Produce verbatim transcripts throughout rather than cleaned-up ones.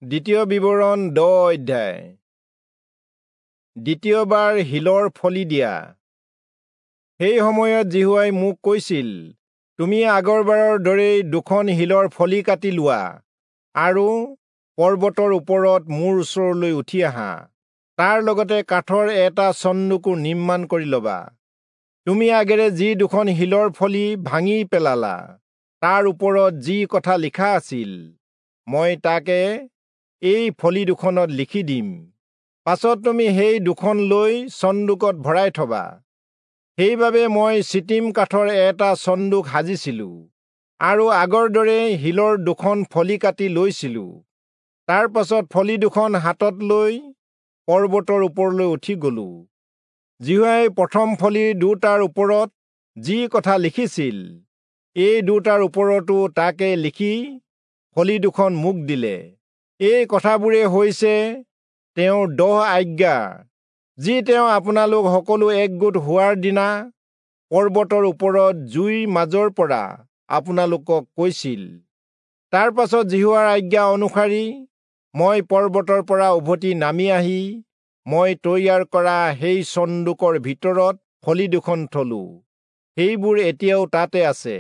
দ্বিতীয় বিৱৰণ দহ অধ্যায়। দ্বিতীয়বাৰ শিলৰ ফলি দিয়া। সেই সময়ত যিহোৱাই মোক কৈছিল, তুমি আগৰবাৰৰ দৰেই দুখন শিলৰ ফলি কাটি লোৱা আৰু পৰ্বতৰ ওপৰত মোৰ ওচৰলৈ উঠি আহা। তাৰ লগতে কাঠৰ এটা চন্দুকো নিৰ্মাণ কৰি লবা। তুমি আগেৰে যি দুখন শিলৰ ফলি ভাঙি পেলালা, তাৰ ওপৰত যি কথা লিখা আছিল, মই তাকে এই ফলি দুখনত লিখি দিম। পাছত তুমি সেই দুখন লৈ চন্দুকত ভৰাই থবা। সেইবাবে মই চিটিম কাঠৰ এটা চন্দুক সাজিছিলো আৰু আগৰ দৰে শিলৰ দুখন ফলি কাটি লৈছিলো। তাৰ পাছত ফলি দুখন হাতত লৈ পৰ্বতৰ ওপৰলৈ উঠি গলো। যিহোৱাই প্ৰথম ফলি দুটাৰ ওপৰত যি কথা লিখিছিল, এই দুটাৰ ওপৰতো তাকে লিখি ফলি দুখন মোক দিলে। এই কথাবোৰে হৈছে তেওঁৰ দহ আজ্ঞা, যি তেওঁ আপোনালোক সকলো একগোট হোৱাৰ দিনা পৰ্বতৰ ওপৰত জুইৰ মাজৰ পৰা আপোনালোকক কৈছিল। তাৰ পাছত যিহোৱাৰ আজ্ঞা অনুসাৰি মই পৰ্বতৰ পৰা উভতি নামি আহি মই তৈয়াৰ কৰা সেই চন্দুকৰ ভিতৰত ফলি দুখন থলো। সেইবোৰ এতিয়াও তাতে আছে।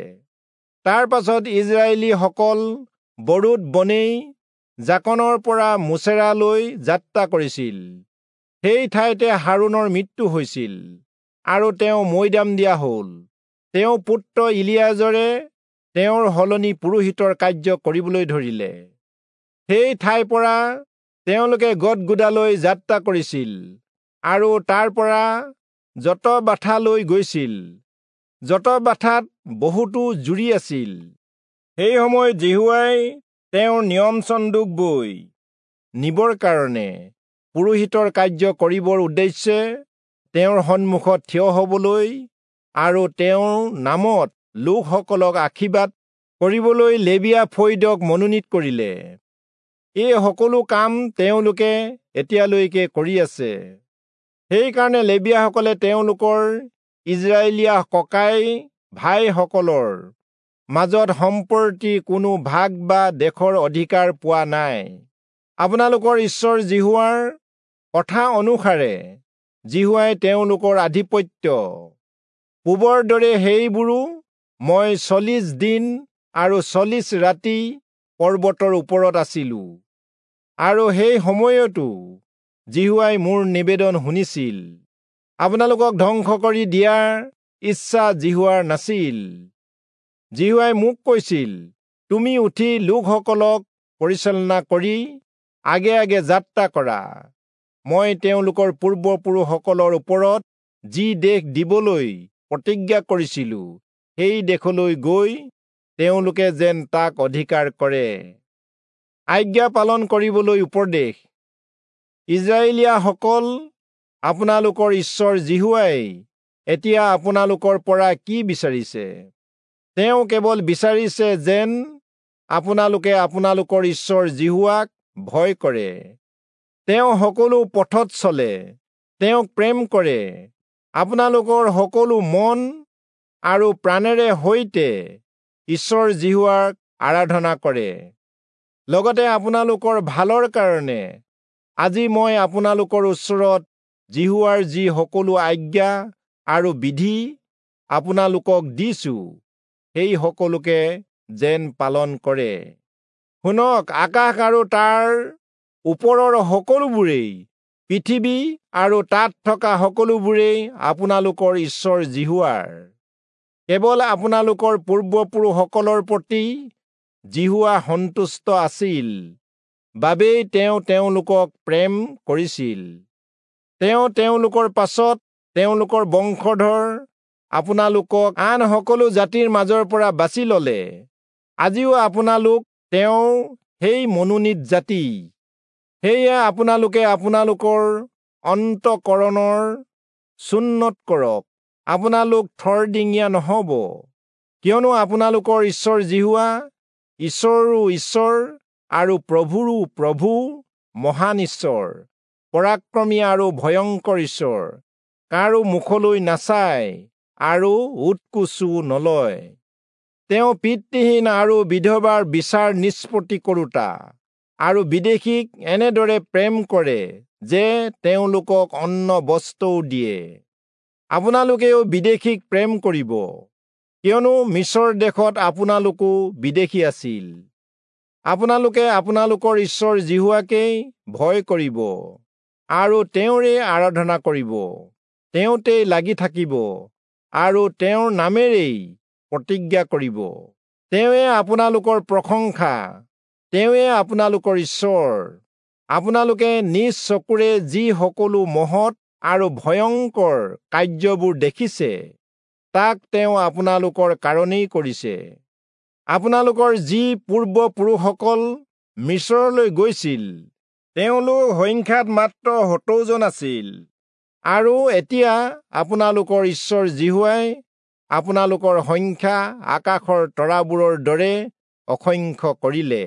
তাৰ পাছত ইজৰাইলীসকল বৰোদ বনেই জাকনৰ পৰা মোচেৰালৈ যাত্ৰা কৰিছিল। সেই ঠাইতে হাৰোণৰ মৃত্যু হৈছিল আৰু তেওঁ মৈদাম দিয়া হ'ল। তেওঁ পুত্ৰ ইলিয়াজৰে তেওঁৰ সলনি পুৰোহিতৰ কাৰ্য কৰিবলৈ ধৰিলে। সেই ঠাইৰ পৰা তেওঁলোকে গদগুদালৈ যাত্ৰা কৰিছিল আৰু তাৰ পৰা যতবাথালৈ গৈছিল। যতবাথাত বহুতো জুৰি আছিল। সেই সময়ত যিহোৱাই তেওঁৰ নিয়ম চন্দুক বৈ নিবৰ কাৰণে পুৰোহিতৰ কাৰ্য কৰিবৰ উদ্দেশ্যে তেওঁৰ সন্মুখত থিয় হবলৈ আৰু তেওঁৰ নামত লোকসকলক আশীৰ্বাদ কৰিবলৈ লেবীয়া ফৈদক মনোনীত কৰিলে। এই সকলো কাম তেওঁলোকে এতিয়ালৈকে কৰি আছে। সেইকাৰণে লেবীয়াসকলে তেওঁলোকৰ ইজৰাইলীয়া ককাই ভাইসকলৰ মাজত সম্প্ৰতি কোনো ভাগ বা দেশৰ অধিকাৰ পোৱা নাই। আপোনালোকৰ ঈশ্বৰ যিহোৱাৰ কথা অনুসাৰে যিহোৱাই তেওঁলোকৰ আধিপত্য পূবৰ দৰে সেইবোৰো মই চল্লিশ দিন আৰু চল্লিশ ৰাতি পৰ্বতৰ ওপৰত আছিলো, আৰু সেই সময়তো যিহোৱাই মোৰ নিবেদন শুনিছিল। আপোনালোকক ধ্বংস কৰি দিয়াৰ ইচ্ছা যিহোৱাৰ নাছিল। যিহোৱাই মোক কৈছিল, তুমি উঠি লোকসকলক পৰিচালনা কৰি আগে আগে যাত্ৰা কৰা। মই তেওঁলোকৰ পূৰ্বপুৰুষসকলৰ ওপৰত যি দেশ দিবলৈ প্ৰতিজ্ঞা কৰিছিলো, সেই দেশলৈ গৈ তেওঁলোকে যেন তাক অধিকাৰ কৰে। আজ্ঞা পালন কৰিবলৈ উপদেশ। ইজৰাইলীয়াসকল, আপোনালোকৰ ঈশ্বৰ যিহোৱাই এতিয়া আপোনালোকৰ পৰা কি বিচাৰিছে? তেওঁ কেৱল বিচাৰিছে যেন আপোনালোকে আপোনালোকৰ ঈশ্বৰ যিহোৱাক ভয় কৰে, তেওঁ সকলো পথত চলে, তেওঁক প্ৰেম কৰে, আপোনালোকৰ সকলো মন আৰু প্ৰাণেৰে সৈতে ঈশ্বৰ যিহোৱাক আৰাধনা কৰে। লগতে আপোনালোকৰ ভালৰ কাৰণে আজি মই আপোনালোকৰ ওচৰত যিহোৱাৰ যি সকলো আজ্ঞা আৰু বিধি আপোনালোকক দিছো, সেই সকলোকে যেন পালন কৰে। শুনক, আকাশ আৰু তাৰ ওপৰৰ সকলোবোৰেই, পৃথিৱী আৰু তাত থকা সকলোবোৰেই আপোনালোকৰ ঈশ্বৰ যিহোৱাৰ। কেৱল আপোনালোকৰ পূৰ্বপুৰুষসকলৰ প্ৰতি যিহোৱা সন্তুষ্ট আছিল বাবেই তেওঁ তেওঁলোকক প্ৰেম কৰিছিল। তেওঁ তেওঁলোকৰ পাছত তেওঁলোকৰ বংশধৰ আপোনালোকক আন সকলো জাতিৰ মাজৰ পৰা বাছি ললে। আজিও আপোনালোক তেওঁৰ সেই মনোনীত জাতি। সেয়ে আপোনালোকে আপোনালোকৰ অন্তঃকৰণৰ চুন্নত কৰক, আপোনালোক থৰডিঙীয়া নহব, কিয়নো আপোনালোকৰ ঈশ্বৰ যিহোৱা ঈশ্বৰো ঈশ্বৰ আৰু প্ৰভুৰো প্ৰভু, মহান ঈশ্বৰ, পৰাক্ৰমী আৰু ভয়ংকৰ ঈশ্বৰ, কাৰো মুখলৈ নাচায় আৰু উৎকোচো নলয়। তেওঁ পিতৃহীন আৰু বিধৱাৰ বিচাৰ নিষ্পত্তি কৰোতা। আৰু বিদেশীক এনেদৰে প্ৰেম কৰে যে তেওঁলোকক অন্ন বস্ত্ৰও দিয়ে। আপোনালোকেও বিদেশীক প্ৰেম কৰিব, কিয়নো মিচৰ দেশত আপোনালোকো বিদেশী আছিল। আপোনালোকে আপোনালোকৰ ঈশ্বৰ যিহোৱাকেই ভয় কৰিব আৰু তেওঁৰে আৰাধনা কৰিব, তেওঁতেই লাগি থাকিব আৰু তেওঁৰ নামেৰেই প্ৰতিজ্ঞা কৰিব। তেওঁৱে আপোনালোকৰ প্ৰশংসা, তেওঁৱে আপোনালোকৰ ঈশ্বৰ। আপোনালোকে নিজ চকুৰে যি সকলো মহৎ আৰু ভয়ংকৰ কাৰ্যবোৰ দেখিছে, তাক তেওঁ আপোনালোকৰ কাৰণেই কৰিছে। আপোনালোকৰ যি পূৰ্বপুৰুষসকল মিচৰলৈ গৈছিল, তেওঁলোক সংখ্যাত মাত্ৰ সত্তৰজন আছিল, আৰু এতিয়া আপোনালোকৰ ঈশ্বৰ যিহোৱাই আপোনালোকৰ সংখ্যা আকাশৰ তৰাবোৰৰ দৰে অসংখ্য কৰিলে।